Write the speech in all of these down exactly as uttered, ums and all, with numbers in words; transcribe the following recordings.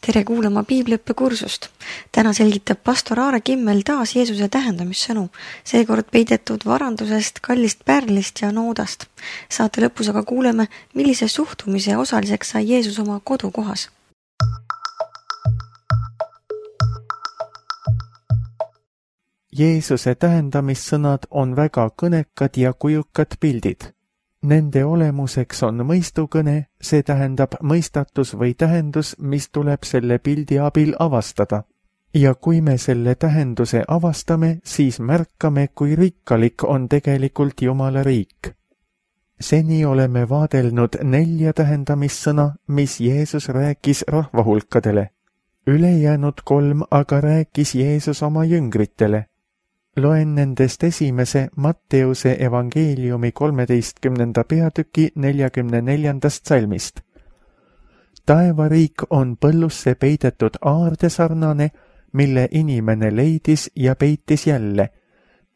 Tere kuulama piibliõppekursust. Täna selgitab pastor Aare Kimmel taas Jeesuse tähendamissõnu, seekord peidetud varandusest, kallist pärlist ja noodast. Saate lõpus aga kuuleme, millise suhtumise osaliseks sai Jeesus oma kodukohas. Jeesuse tähendamissõnad on väga kõnekad ja kujukad pildid. Nende olemuseks on mõistukõne, see tähendab mõistatus või tähendus, mis tuleb selle pildi abil avastada. Ja kui me selle tähenduse avastame, siis märkame, kui rikkalik on tegelikult Jumala riik. Seni oleme vaadelnud nelja tähendamissõna, mis Jeesus rääkis rahvahulkadele. Ülejäänud kolm aga rääkis Jeesus oma jüngritele. Loen nendest esimese Matteuse evangeeliumi kolmeteistkümnenda peatüki neljakümne neljandast salmist. Taevariik on põllusse peidetud aarde sarnane, mille inimene leidis ja peitis jälle.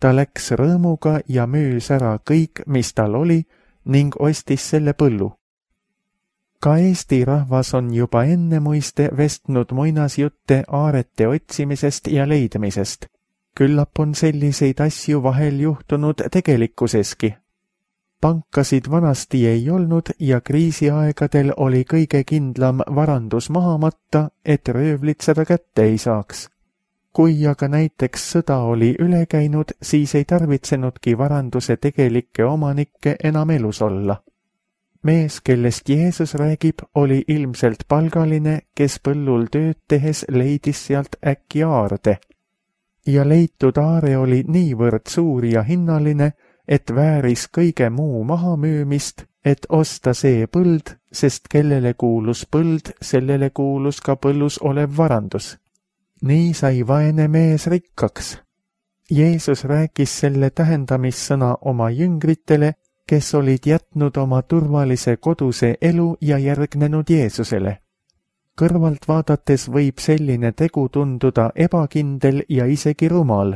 Ta läks rõõmuga ja müüs ära kõik, mis tal oli, ning ostis selle põllu. Ka Eesti rahvas on juba enne muiste vestnud muinasjutte aarete otsimisest ja leidmisest. Küllap on selliseid asju vahel juhtunud tegelikkuseski. Pankasid vanasti ei olnud ja kriisiaegadel oli kõige kindlam varandus maha matta, et röövlid seda kätte ei saaks. Kui aga näiteks sõda oli üle käinud, siis ei tarvitsenudki varanduse tegelikke omanikke enam elus olla. Mees, kellest Jeesus räägib, oli ilmselt palgaline, kes põllul tööd tehes leidis sealt äkki aarde. Ja leitud aare oli niivõrd suur ja hinnaline, et vääris kõige muu maha müümist, et osta see põld, sest kellele kuulus põld, sellele kuulus ka põllus olev varandus. Nii sai vaene mees rikkaks. Jeesus rääkis selle tähendamissõna oma jüngritele, kes olid jätnud oma turvalise koduse elu ja järgnenud Jeesusele. Kõrvalt vaadates võib selline tegu tunduda ebakindel ja isegi rumal,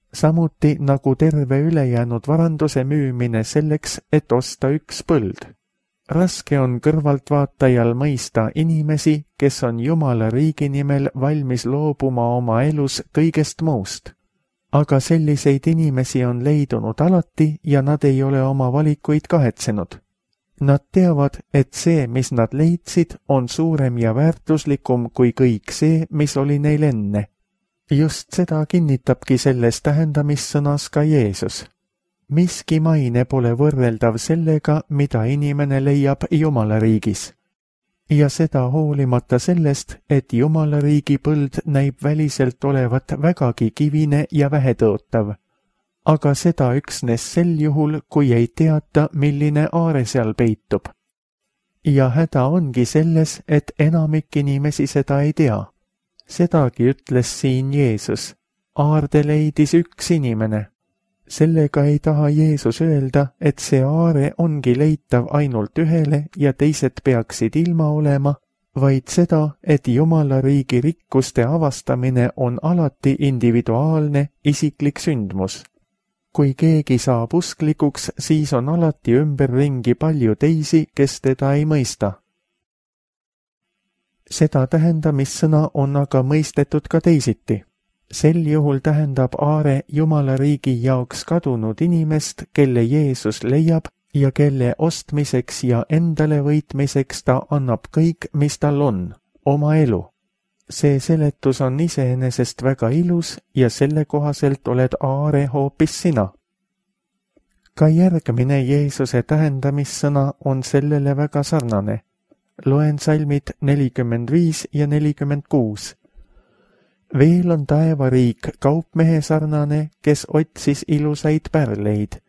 samuti nagu terve ülejäänud varanduse müümine selleks, et osta üks põld. Raske on kõrvaltvaatajal mõista inimesi, kes on Jumala riigi nimel valmis loobuma oma elus kõigest muust. Aga selliseid inimesi on leidunud alati ja nad ei ole oma valikuid kahetsenud. Nad teavad, et see, mis nad leidsid, on suurem ja väärtuslikum kui kõik see, mis oli neil enne. Just seda kinnitabki selles tähendamissõnas ka Jeesus. Miski maine pole võrreldav sellega, mida inimene leiab Jumala riigis. Ja seda hoolimata sellest, et Jumala riigi põld näib väliselt olevat vägagi kivine ja vähetõotav. Aga seda üksnes sel juhul, kui ei teata, milline aare seal peitub. Ja häda ongi selles, et enamik inimesi seda ei tea. Sedagi ütles siin Jeesus. Aarde leidis üks inimene. Sellega ei taha Jeesus öelda, et see aare ongi leitav ainult ühele ja teised peaksid ilma olema, vaid seda, et Jumala riigi rikkuste avastamine on alati individuaalne, isiklik sündmus. Kui keegi saab usklikuks, siis on alati ümberringi palju teisi, kes teda ei mõista. Seda tähendamissõna on aga mõistetud ka teisiti. Sel juhul tähendab aare Jumala riigi jaoks kadunud inimest, kelle Jeesus leiab ja kelle ostmiseks ja endale võitmiseks ta annab kõik, mis tal on, oma elu. See seletus on iseenesest väga ilus ja selle kohaselt oled aare hoopis sina. Ka järgmine Jeesuse tähendamissõna on sellele väga sarnane. Loen salmid nelikümmend viis ja nelikümmend kuus. Veel on taevariik kaupmehe sarnane, kes otsis ilusaid pärleid.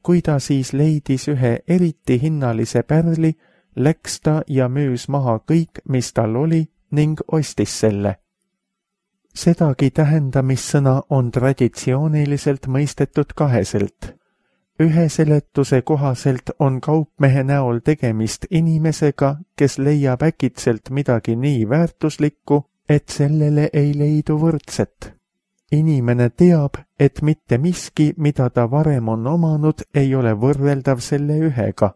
Kui ta siis leidis ühe eriti hinnalise pärli, läks ta ja müüs maha kõik, mis tal oli, ning ostis selle. Sedagi tähendamissõna on traditsiooniliselt mõistetud kaheselt. Ühe seletuse kohaselt on kaupmehe näol tegemist inimesega, kes leiab äkitselt midagi nii väärtuslikku, et sellele ei leidu võrdset. Inimene teab, et mitte miski, mida ta varem on omanud, ei ole võrreldav selle ühega.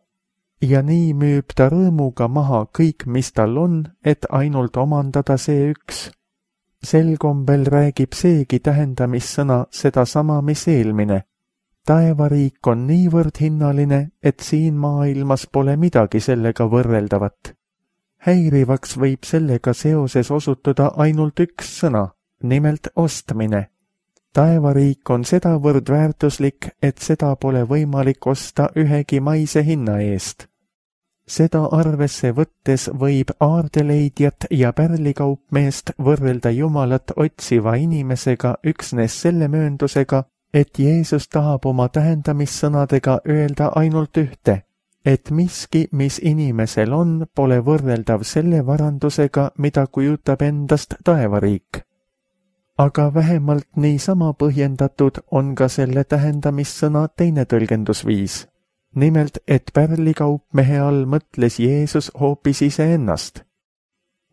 ja nii müüb ta rõõmuga maha kõik, mis tal on, et ainult omandada see üks. Sel kombel räägib seegi tähendamissõna sedasama, mis eelmine. Taevariik on niivõrd hinnaline, et siin maailmas pole midagi sellega võrreldavat. Häirivaks võib sellega seoses osutuda ainult üks sõna, nimelt ostmine. Taevariik on sedavõrd väärtuslik, et seda pole võimalik osta ühegi maise hinna eest. Seda arvesse võttes võib aardeleidjat ja pärlikaupmeest võrrelda Jumalat otsiva inimesega üksnes selle mööndusega, et Jeesus tahab oma tähendamissõnadega öelda ainult ühte, et miski, mis inimesel on, pole võrreldav selle varandusega, mida kujutab endast taevariik. Aga vähemalt niisama põhjendatud on ka selle tähendamissõna teine tõlgendusviis. Nimelt, et pärlikaupmehe all mõtles Jeesus hoopis iseennast.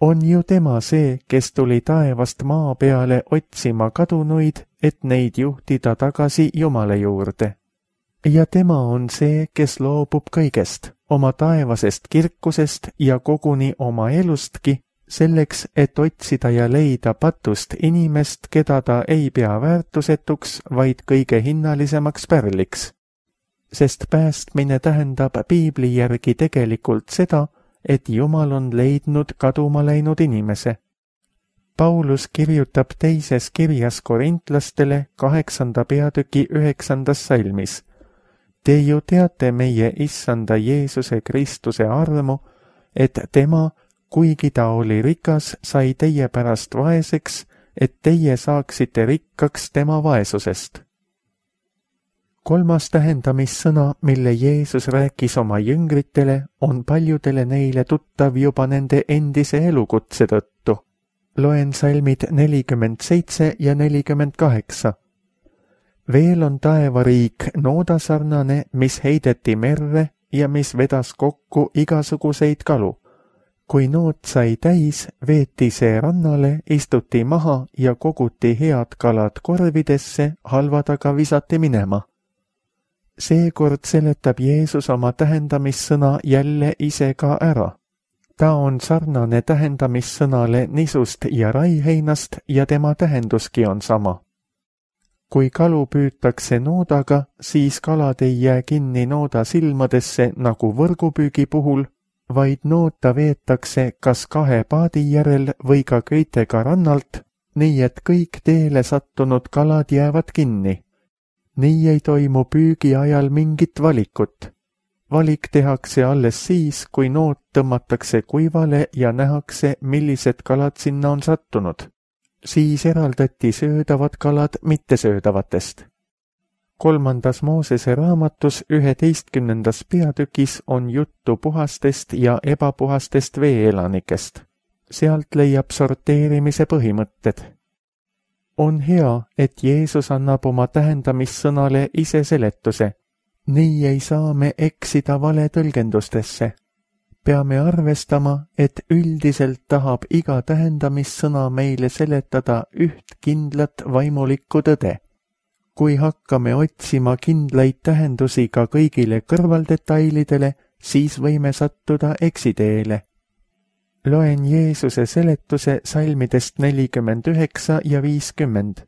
On ju tema see, kes tuli taevast maa peale otsima kadunuid, et neid juhtida tagasi Jumala juurde. Ja tema on see, kes loobub kõigest, oma taevasest kirkusest ja koguni oma elustki, selleks, et otsida ja leida patust inimest, keda ta ei pea väärtusetuks, vaid kõige hinnalisemaks pärliks. Sest päästmine tähendab piibli järgi tegelikult seda, et Jumal on leidnud kaduma läinud inimese. Paulus kirjutab teises kirjas korintlastele kaheksanda peatüki üheksandas salmis. Te ju teate meie issanda Jeesuse Kristuse armu, et tema, kuigi ta oli rikas, sai teie pärast vaeseks, et teie saaksite rikkaks tema vaesusest. Kolmas tähendamissõna, mille Jeesus rääkis oma jüngritele, on paljudele neile tuttav juba nende endise elukutse tõttu. Loen salmid nelikümmend seitse ja nelikümmend kaheksa. Veel on taevariik noodasarnane, mis heideti merre ja mis vedas kokku igasuguseid kalu. Kui nood sai täis, veeti see rannale, istuti maha ja koguti head kalad korvidesse, halvad aga visati minema. Seekord seletab Jeesus oma tähendamissõna jälle ise ka ära. Ta on sarnane tähendamissõnale nisust ja raiheinast ja tema tähenduski on sama. Kui kalu püütakse noodaga, siis kalad ei jää kinni nooda silmadesse nagu võrgupüügi puhul, vaid noota veetakse kas kahe paadi järel või ka köitega rannalt, nii et kõik teele sattunud kalad jäävad kinni. Nii ei toimu püügi ajal mingit valikut. Valik tehakse alles siis, kui noot tõmmatakse kuivale ja nähakse, millised kalad sinna on sattunud. Siis eraldati söödavad kalad mittesöödavatest. Kolmandas Moosese raamatus üheteistkümnendas peatükis on juttu puhastest ja ebapuhastest veeelanikest. Sealt leiab sorteerimise põhimõtted. On hea, et Jeesus annab oma tähendamissõnale ise seletuse. Nii ei saa me eksida vale tõlgendustesse. Peame arvestama, et üldiselt tahab iga tähendamissõna meile seletada üht kindlat vaimulikku tõde. Kui hakkame otsima kindlaid tähendusi ka kõigile kõrvaldetailidele, siis võime sattuda eksiteele. Loen Jeesuse seletuse salmidest nelikümmend üheksa ja viiskümmend.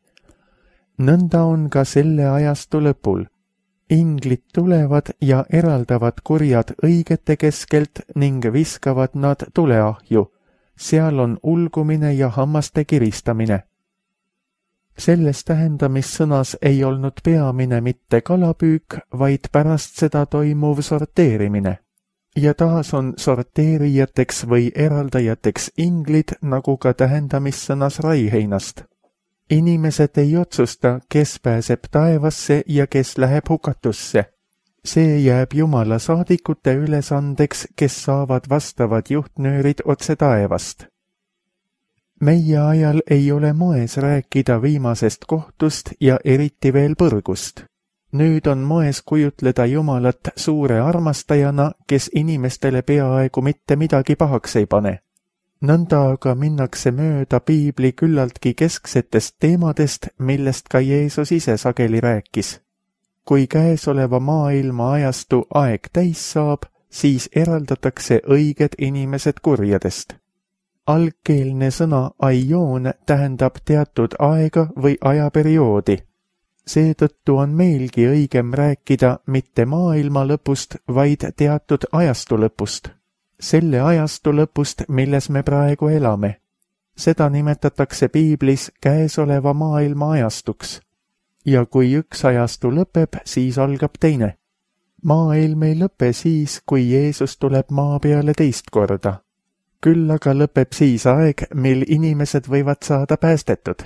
Nõnda on ka selle ajastu lõpul. Inglid tulevad ja eraldavad kurjad õigete keskelt ning viskavad nad tuleahju. Seal on ulgumine ja hammaste kiristamine. Selles tähendamissõnas ei olnud peamine mitte kalapüük, vaid pärast seda toimuv sorteerimine. Ja taas on sorteerijateks või eraldajateks inglid, nagu ka tähendamissõnas raiheinast. Inimesed ei otsusta, kes pääseb taevasse ja kes läheb hukatusse. See jääb Jumala saadikute ülesandeks, kes saavad vastavad juhtnöörid otse taevast. Meie ajal ei ole moes rääkida viimasest kohtust ja eriti veel põrgust. Nüüd on moes kujutleda Jumalat suure armastajana, kes inimestele peaaegu mitte midagi pahaks ei pane. Nõnda aga minnakse mööda piibli küllaltki kesksetest teemadest, millest ka Jeesus ise sageli rääkis. Kui käesoleva maailma ajastu aeg täis saab, siis eraldatakse õiged inimesed kurjadest. Algkeelne sõna aion tähendab teatud aega või ajaperioodi. Seetõttu on meilgi õigem rääkida mitte maailma lõpust, vaid teatud ajastu lõpust. Selle ajastu lõpust, milles me praegu elame. Seda nimetatakse piiblis käesoleva maailma ajastuks. Ja kui üks ajastu lõpeb, siis algab teine. Maailm ei lõpe siis, kui Jeesus tuleb maa peale teist korda. Küll aga lõpeb siis aeg, mil inimesed võivad saada päästetud.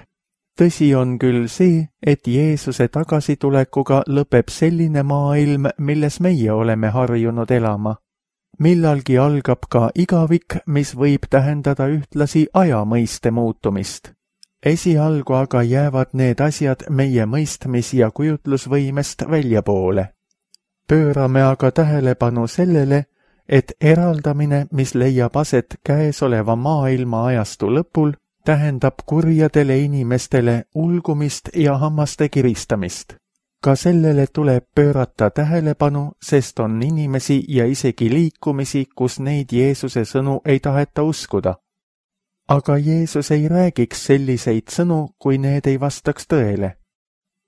Tõsi on küll see, et Jeesuse tagasitulekuga lõpeb selline maailm, milles meie oleme harjunud elama. Millalgi algab ka igavik, mis võib tähendada ühtlasi ajamõiste muutumist. Esialgu aga jäävad need asjad meie mõistmis- ja kujutlusvõimest väljapoole. Pöörame aga tähelepanu sellele, et eraldamine, mis leiab aset käesoleva maailma ajastu lõpul, tähendab kurjadele inimestele ulgumist ja hammaste kiristamist. Ka sellele tuleb pöörata tähelepanu, sest on inimesi ja isegi liikumisi, kus neid Jeesuse sõnu ei taheta uskuda. Aga Jeesus ei räägiks selliseid sõnu, kui need ei vastaks tõele.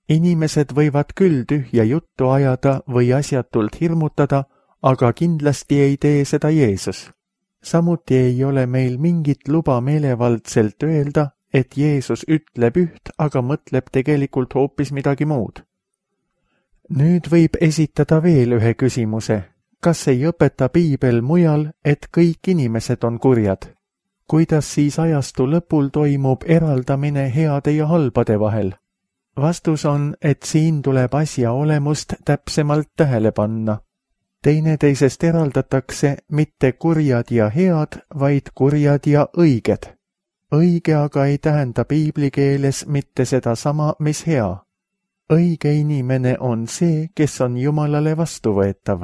Inimesed võivad küll tühja juttu ajada või asjatult hirmutada, aga kindlasti ei tee seda Jeesus. Samuti ei ole meil mingit luba meelevaldselt öelda, et Jeesus ütleb üht, aga mõtleb tegelikult hoopis midagi muud. Nüüd võib esitada veel ühe küsimuse. Kas ei õpeta piibel mujal, et kõik inimesed on kurjad? Kuidas siis ajastu lõpul toimub eraldamine heade ja halbade vahel? Vastus on, et siin tuleb asja olemust täpsemalt tähele panna. Teineteisest eraldatakse mitte kurjad ja head, vaid kurjad ja õiged. Õige aga ei tähenda piibli keeles mitte seda sama, mis hea. Õige inimene on see, kes on Jumalale vastuvõetav.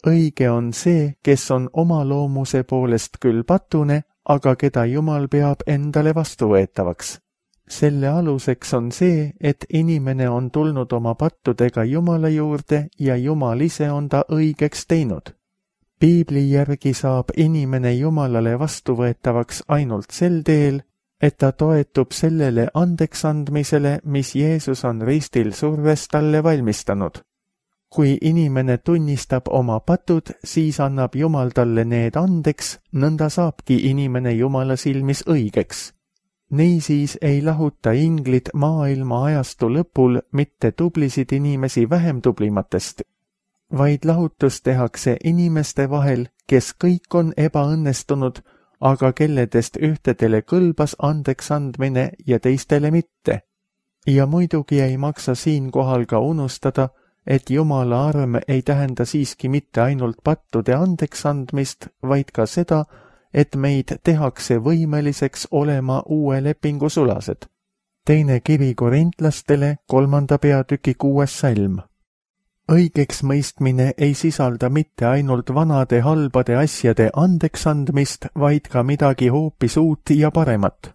Õige on see, kes on oma loomuse poolest küll patune, aga keda Jumal peab endale vastuvõetavaks. Selle aluseks on see, et inimene on tulnud oma pattudega Jumala juurde ja Jumal ise on ta õigeks teinud. Piibli järgi saab inimene Jumalale vastuvõetavaks ainult sel teel, et ta toetub sellele andeksandmisele, mis Jeesus on ristil surves talle valmistanud. Kui inimene tunnistab oma patud, siis annab Jumal talle need andeks, nõnda saabki inimene Jumala silmis õigeks. Niisiis ei lahuta inglid maailma ajastu lõpul mitte tublisid inimesi vähem tublimatest, vaid lahutus tehakse inimeste vahel, kes kõik on ebaõnnestunud, aga kelledest ühtedele kõlbas andeks andmine ja teistele mitte. Ja muidugi ei maksa siinkohal ka unustada, et Jumala arm ei tähenda siiski mitte ainult pattude andeks andmist, vaid ka seda, et meid tehakse võimeliseks olema uue lepingu sulased. Teine kiri korintlastele, kolmanda peatüki kuues salm. Õigeks mõistmine ei sisalda mitte ainult vanade halbade asjade andeks andmist, vaid ka midagi hoopis uut ja paremat.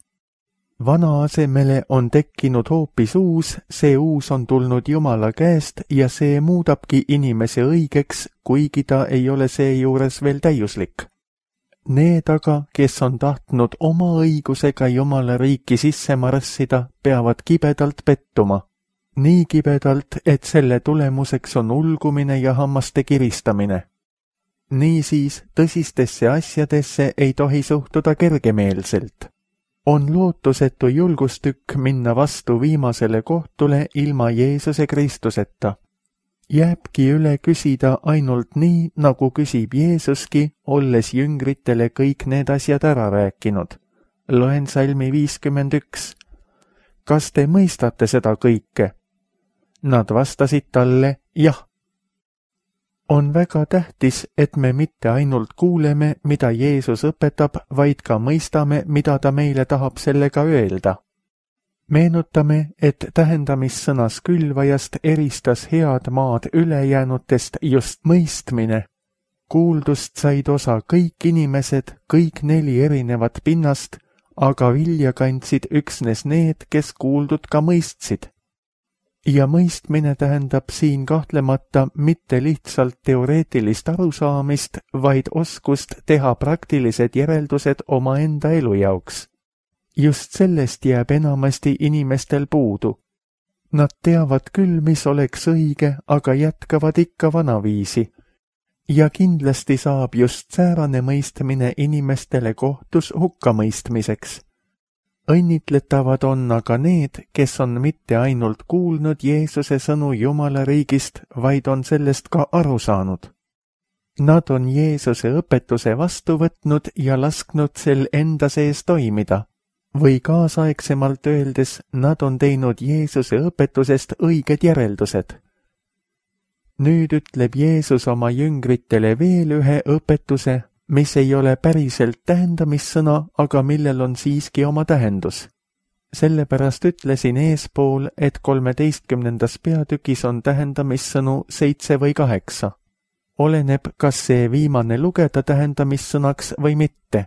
Vana asemele on tekkinud hoopis uus, see uus on tulnud Jumala käest ja see muudabki inimese õigeks, kuigi ta ei ole seejuures veel täiuslik. Need aga, kes on tahtnud oma õigusega Jumala riiki sisse marssida, peavad kibedalt pettuma. Nii kibedalt, et selle tulemuseks on ulgumine ja hammaste kiristamine. Niisiis, tõsistesse asjadesse ei tohi suhtuda kergemeelselt. On lootusetu julgustükk minna vastu viimasele kohtule ilma Jeesuse Kristuseta. Jääbki üle küsida ainult nii, nagu küsib Jeesuski, olles jüngritele kõik need asjad ära rääkinud. Loen salmi viiskümmend üks. Kas te mõistate seda kõike? Nad vastasid talle, jah. On väga tähtis, et me mitte ainult kuuleme, mida Jeesus õpetab, vaid ka mõistame, mida ta meile tahab sellega öelda. Meenutame, et tähendamissõnas külvajast eristas head maad ülejäänutest just mõistmine. Kuuldust said osa kõik inimesed, kõik neli erinevat pinnast, aga vilja kandsid üksnes need, kes kuuldud ka mõistsid. ja mõistmine tähendab siin kahtlemata mitte lihtsalt teoreetilist arusaamist, vaid oskust teha praktilised järeldused omaenda elu jaoks. Just sellest jääb enamasti inimestel puudu. Nad teavad küll, mis oleks õige, aga jätkavad ikka vanaviisi. Ja kindlasti saab just säärane mõistmine inimestele kohtus hukkamõistmiseks. Õnnitletavad on aga need, kes on mitte ainult kuulnud Jeesuse sõnu Jumala riigist, vaid on sellest ka aru saanud. Nad on Jeesuse õpetuse vastu võtnud ja lasknud sel enda sees toimida. Või kaasaegsemalt öeldes, nad on teinud Jeesuse õpetusest õiged järeldused. Nüüd ütleb Jeesus oma jüngritele veel ühe õpetuse, mis ei ole päriselt tähendamissõna, aga millel on siiski oma tähendus. Sellepärast ütlesin eespool, et kolmeteistkümnendas peatükis on tähendamissõnu seitse või kaheksa. Oleneb, kas see viimane lugeda tähendamissõnaks või mitte.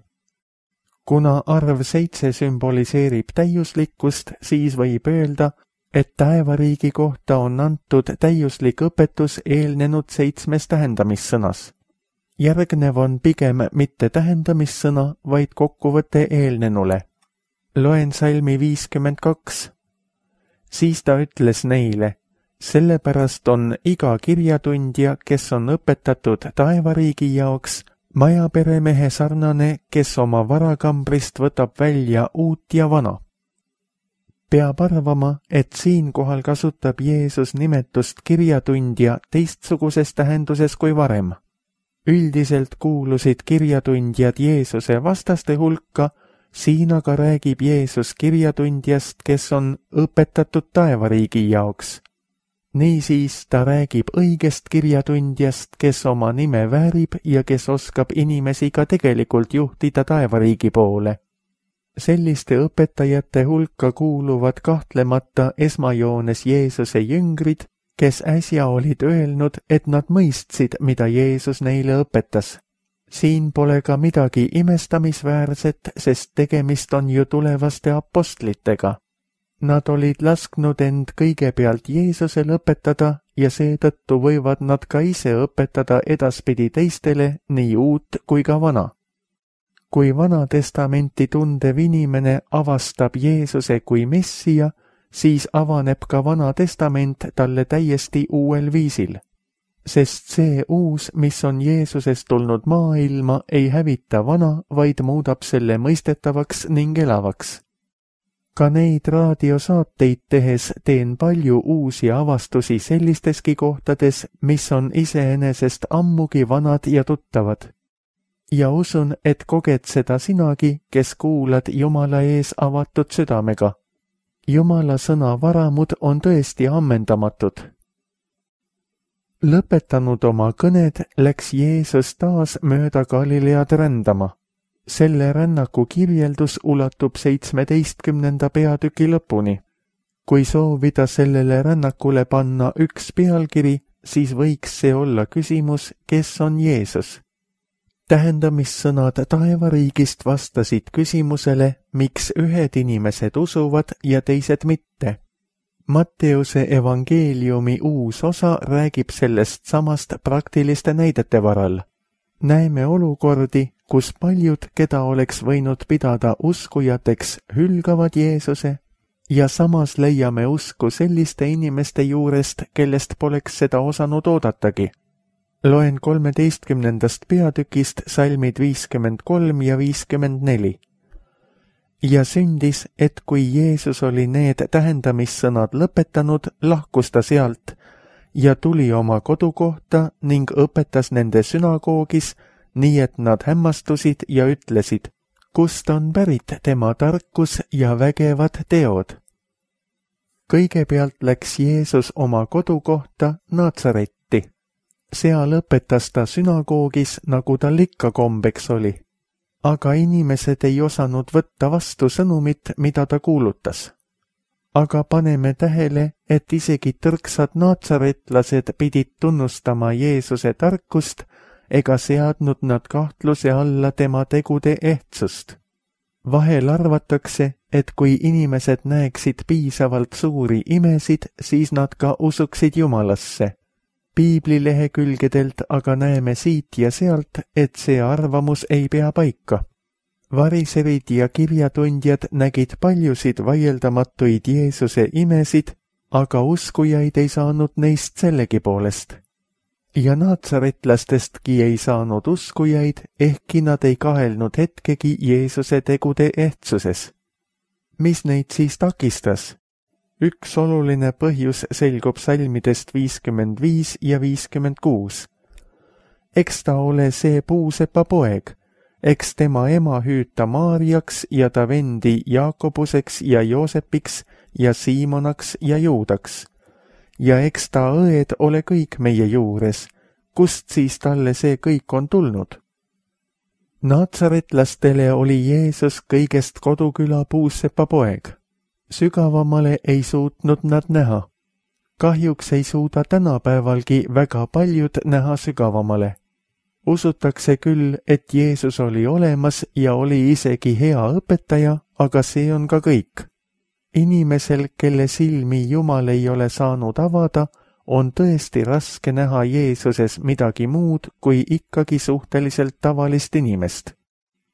Kuna arv seitse sümboliseerib täiuslikkust, siis võib öelda, et taevariigi kohta on antud täiuslik õpetus eelnenud seitsmes tähendamissõnas. Järgnev on pigem mitte tähendamissõna, vaid kokkuvõte eelnenule. Loen salmi viiskümmend kaks. Siis ta ütles neile, sellepärast on iga kirjatundja, kes on õpetatud taevariigi jaoks, majaperemehe sarnane, kes oma varakambrist võtab välja uut ja vana. Peab arvama, et siinkohal kasutab Jeesus nimetust kirjatundja teistsuguses tähenduses kui varem. Üldiselt kuulusid kirjatundjad Jeesuse vastaste hulka, siin aga räägib Jeesus kirjatundjast, kes on õpetatud taevariigi jaoks. Niisiis ta räägib õigest kirjatundjast, kes oma nime väärib ja kes oskab inimesi ka tegelikult juhtida taevariigi poole. Selliste õpetajate hulka kuuluvad kahtlemata esmajoones Jeesuse jüngrid, kes äsja olid öelnud, et nad mõistsid, mida Jeesus neile õpetas. Siin pole ka midagi imestamisväärset, sest tegemist on ju tulevaste apostlitega. Nad olid lasknud end kõigepealt Jeesusel õpetada ja seetõttu võivad nad ka ise õpetada edaspidi teistele nii uut kui ka vana. Kui Vana Testamenti tundev inimene avastab Jeesuse kui Messija, siis avaneb ka Vana Testament talle täiesti uuel viisil. Sest see uus, mis on Jeesusest tulnud maailma, ei hävita vana, vaid muudab selle mõistetavaks ning elavaks. Ka neid raadiosaateid tehes teen palju uusi avastusi sellisteski kohtades, mis on iseenesest ammugi vanad ja tuttavad. Ja usun, et koged seda sinagi, kes kuulad Jumala ees avatud südamega. Jumala sõna varamud on tõesti ammendamatud. Lõpetanud oma kõned, läks Jeesus taas mööda Galilead rändama. Selle rännaku kirjeldus ulatub seitsmeteistkümnenda peatüki lõpuni. Kui soovida sellele rännakule panna üks pealkiri, siis võiks see olla küsimus, kes on Jeesus. Tähendamissõnad taevariigist vastasid küsimusele, miks ühed inimesed usuvad ja teised mitte. Matteuse evangeeliumi uus osa räägib sellest samast praktiliste näidete varal. Näeme olukordi, kus paljud, keda oleks võinud pidada uskujateks, hülgavad Jeesuse ja samas leiame usku selliste inimeste juurest, kellest poleks seda osanud oodatagi. Loen kolmeteistkümnendast peatükist salmid viiskümmend kolm ja viiskümmend neli. Ja sündis, et kui Jeesus oli need tähendamissõnad lõpetanud, lahkus ta sealt ja tuli oma kodukohta ning õpetas nende sünagoogis, nii et nad hämmastusid ja ütlesid, kust on pärit tema tarkus ja vägevad teod. Kõigepealt läks Jeesus oma kodukohta Natsaretti. Seal õpetas ta sünagoogis, nagu tal ikka kombeks oli. Aga inimesed ei osanud võtta vastu sõnumit, mida ta kuulutas. Aga paneme tähele, et isegi tõrksad natsaretlased pidid tunnustama Jeesuse tarkust ega seadnud nad kahtluse alla tema tegude ehtsust. Vahel arvatakse, et kui inimesed näeksid piisavalt suuri imesid, siis nad ka usuksid Jumalasse. Piibli lehekülgedelt aga näeme siit ja sealt, et see arvamus ei pea paika. Variserid ja kirjatundjad nägid paljusid vaieldamatuid Jeesuse imesid, aga uskujaid ei saanud neist sellegipoolest. Ja naatsaretlastestki ei saanud uskujaid, ehkki nad ei kahelnud hetkegi Jeesuse tegude ehtsuses. Mis neid siis takistas? Üks oluline põhjus selgub salmidest viiskümmend viis ja viiskümmend kuus. Eks ta ole see puusepa poeg, eks tema ema hüüta Maarjaks ja ta vendi Jaakobuseks ja Joosepiks ja Siimonaks ja Juudaks. Ja eks ta õed ole kõik meie juures, kust siis talle see kõik on tulnud? Naatsaretlastele oli Jeesus kõigest koduküla puusepa poeg. Sügavamale ei suutnud nad näha. Kahjuks ei suuda tänapäevalgi väga paljud näha sügavamale. Usutakse küll, et Jeesus oli olemas ja oli isegi hea õpetaja, aga see on ka kõik. Inimesel, kelle silmi Jumal ei ole saanud avada, on tõesti raske näha Jeesuses midagi muud kui ikkagi suhteliselt tavalist inimest.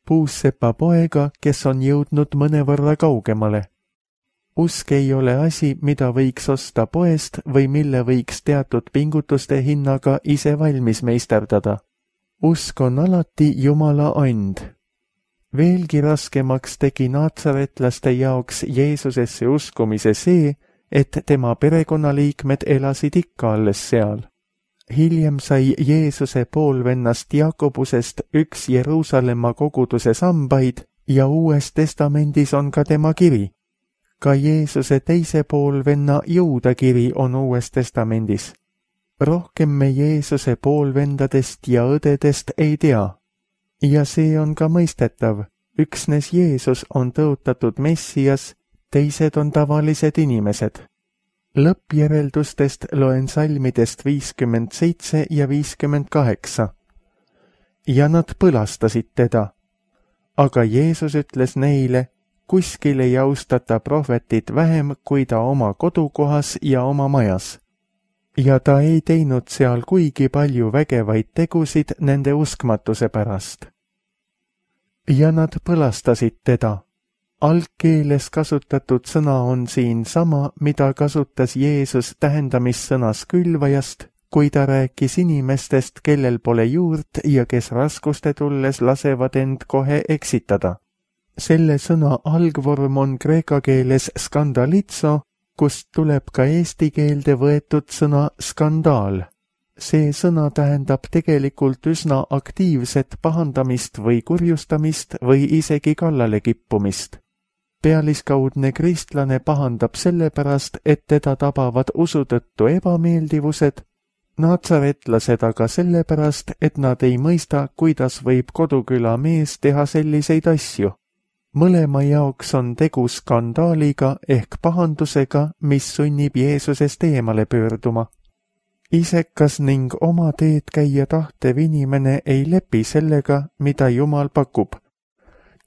Puussepa poega, kes on jõudnud mõnevõrra kaugemale. Usk ei ole asi, mida võiks osta poest või mille võiks teatud pingutuste hinnaga ise valmis meisterdada. Usk on alati Jumala and. Veelgi raskemaks tegi naatsaretlaste jaoks Jeesusesse uskumise see, et tema perekonnaliikmed elasid ikka alles seal. Hiljem sai Jeesuse poolvennast Jaakobusest üks Jeruusalemma koguduse sambaid ja Uues Testamendis on ka tema kiri. Ka Jeesuse teise poolvenna Juuda kiri on Uues Testamendis. Rohkem me Jeesuse poolvendadest ja õdedest ei tea. Ja see on ka mõistetav. Üksnes Jeesus on tõotatud Messias, teised on tavalised inimesed. Lõppjäreldustest loen salmidest viiskümmend seitse ja viiskümmend kaheksa. Ja nad põlastasid teda. Aga Jeesus ütles neile, kuskil ei austata prohvetit vähem kui ta oma kodukohas ja oma majas. Ja ta ei teinud seal kuigi palju vägevaid tegusid nende uskmatuse pärast. Ja nad põlastasid teda. Algkeeles kasutatud sõna on siin sama, mida kasutas Jeesus tähendamissõnas külvajast, kui ta rääkis inimestest, kellel pole juurt ja kes raskuste tulles lasevad end kohe eksitada. Selle sõna algvorm on kreeka keeles skandalitso, kust tuleb ka eesti keelde võetud sõna skandaal. See sõna tähendab tegelikult üsna aktiivset pahandamist või kurjustamist või isegi kallale kippumist. Pealiskaudne kristlane pahandab sellepärast, et teda tabavad usu tõttu ebameeldivused, naatsaretlased aga sellepärast, et nad ei mõista, kuidas võib koduküla mees teha selliseid asju. Mõlema jaoks on tegu skandaaliga ehk pahandusega, mis sunnib Jeesusest eemale pöörduma. Isekas ning oma teed käia tahtev inimene ei lepi sellega, mida Jumal pakub.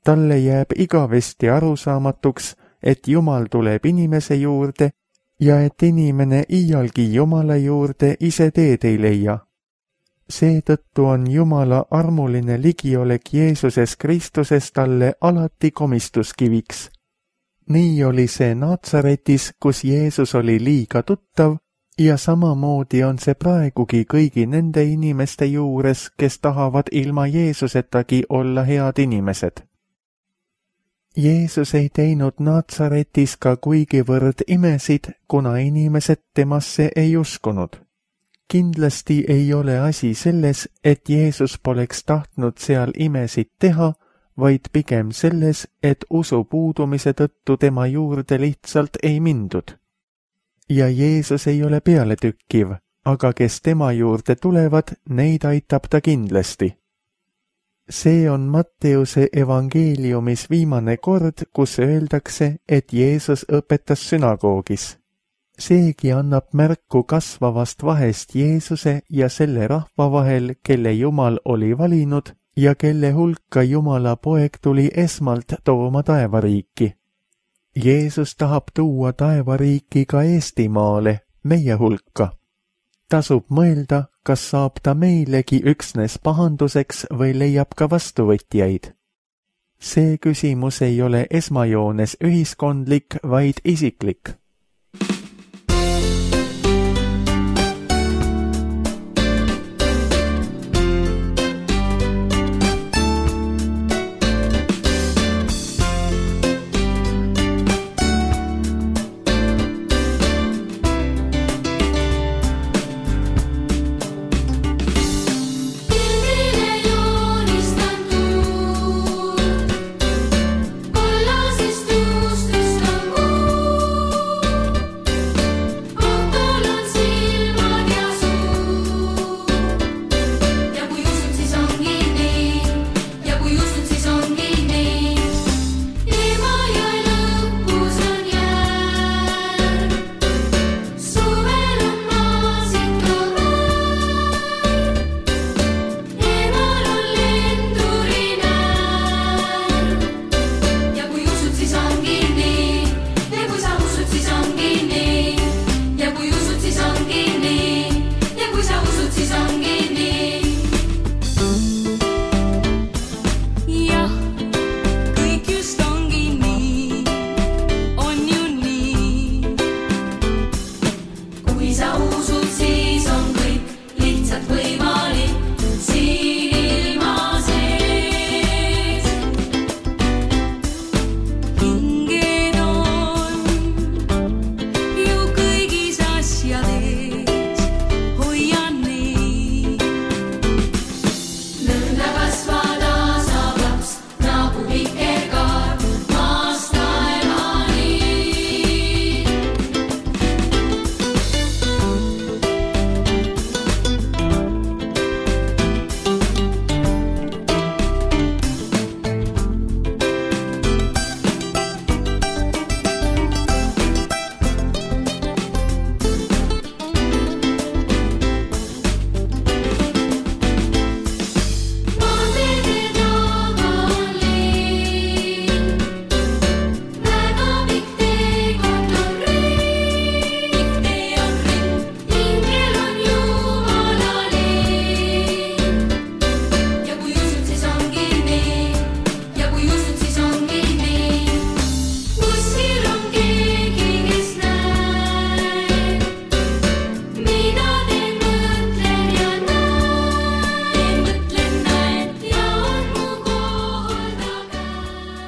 Talle jääb igavesti arusaamatuks, et Jumal tuleb inimese juurde ja et inimene iialgi Jumala juurde ise teed ei leia. Seetõttu on Jumala armuline ligiolek Jeesuses Kristuses talle alati komistuskiviks. Nii oli see Naatsaretis, kus Jeesus oli liiga tuttav, ja samamoodi on see praegugi kõigi nende inimeste juures, kes tahavad ilma Jeesusetagi olla head inimesed. Jeesus ei teinud Naatsaretis ka kuigivõrd imesid, kuna inimesed temasse ei uskunud. Kindlasti ei ole asi selles, et Jeesus poleks tahtnud seal imesid teha, vaid pigem selles, et usu puudumise tõttu tema juurde lihtsalt ei mindud. Ja Jeesus ei ole pealetükkiv, aga kes tema juurde tulevad, neid aitab ta kindlasti. See on Matteuse evangeeliumis viimane kord, kus öeldakse, et Jeesus õpetas sünagoogis. Seegi annab märku kasvavast vahest Jeesuse ja selle rahva vahel, kelle Jumal oli valinud ja kelle hulka Jumala poeg tuli esmalt tooma taevariiki. Jeesus tahab tuua taevariiki ka Eestimaale, meie hulka. Tasub mõelda, kas saab ta meilegi üksnes pahanduseks või leiab ka vastuvõtjaid. See küsimus ei ole esmajoones ühiskondlik, vaid isiklik.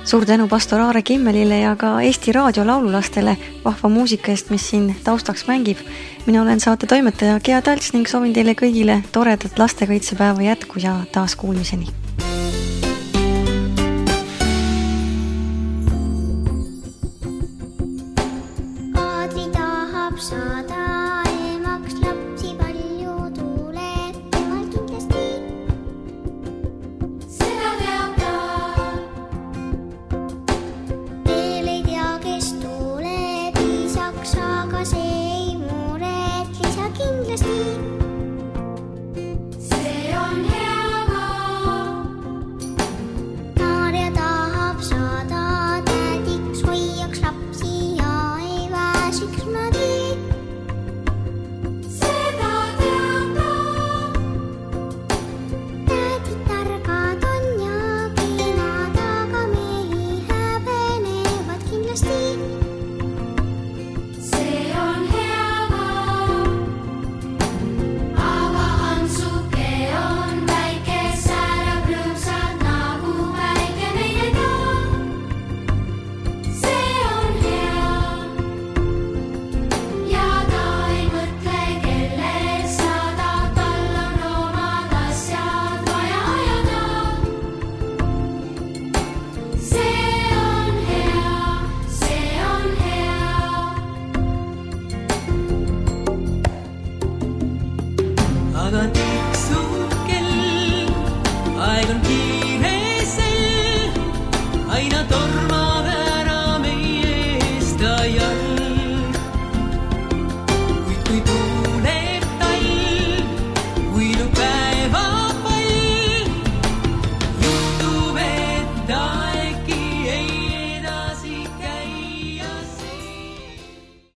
Suur tänu pastor Aare Kimmelile ja ka Eesti Raadio laululastele vahva muusika eest, mis siin taustaks mängib. Mina olen saate toimetaja Gea Talts ning soovin teile kõigile toredat lastekaitsepäeva jätku ja taas kuulmiseni. Aadri tahab saada emaks, lapsi palju tuleb temal kindlasti. Seda teab ta. Veel ei tea, kes tuleb isaks, aga see ei muret lisa kindlasti. See on hea ka. Maarja tahab saada tädiks, hoiaks lapsi ja ei väsiks mä.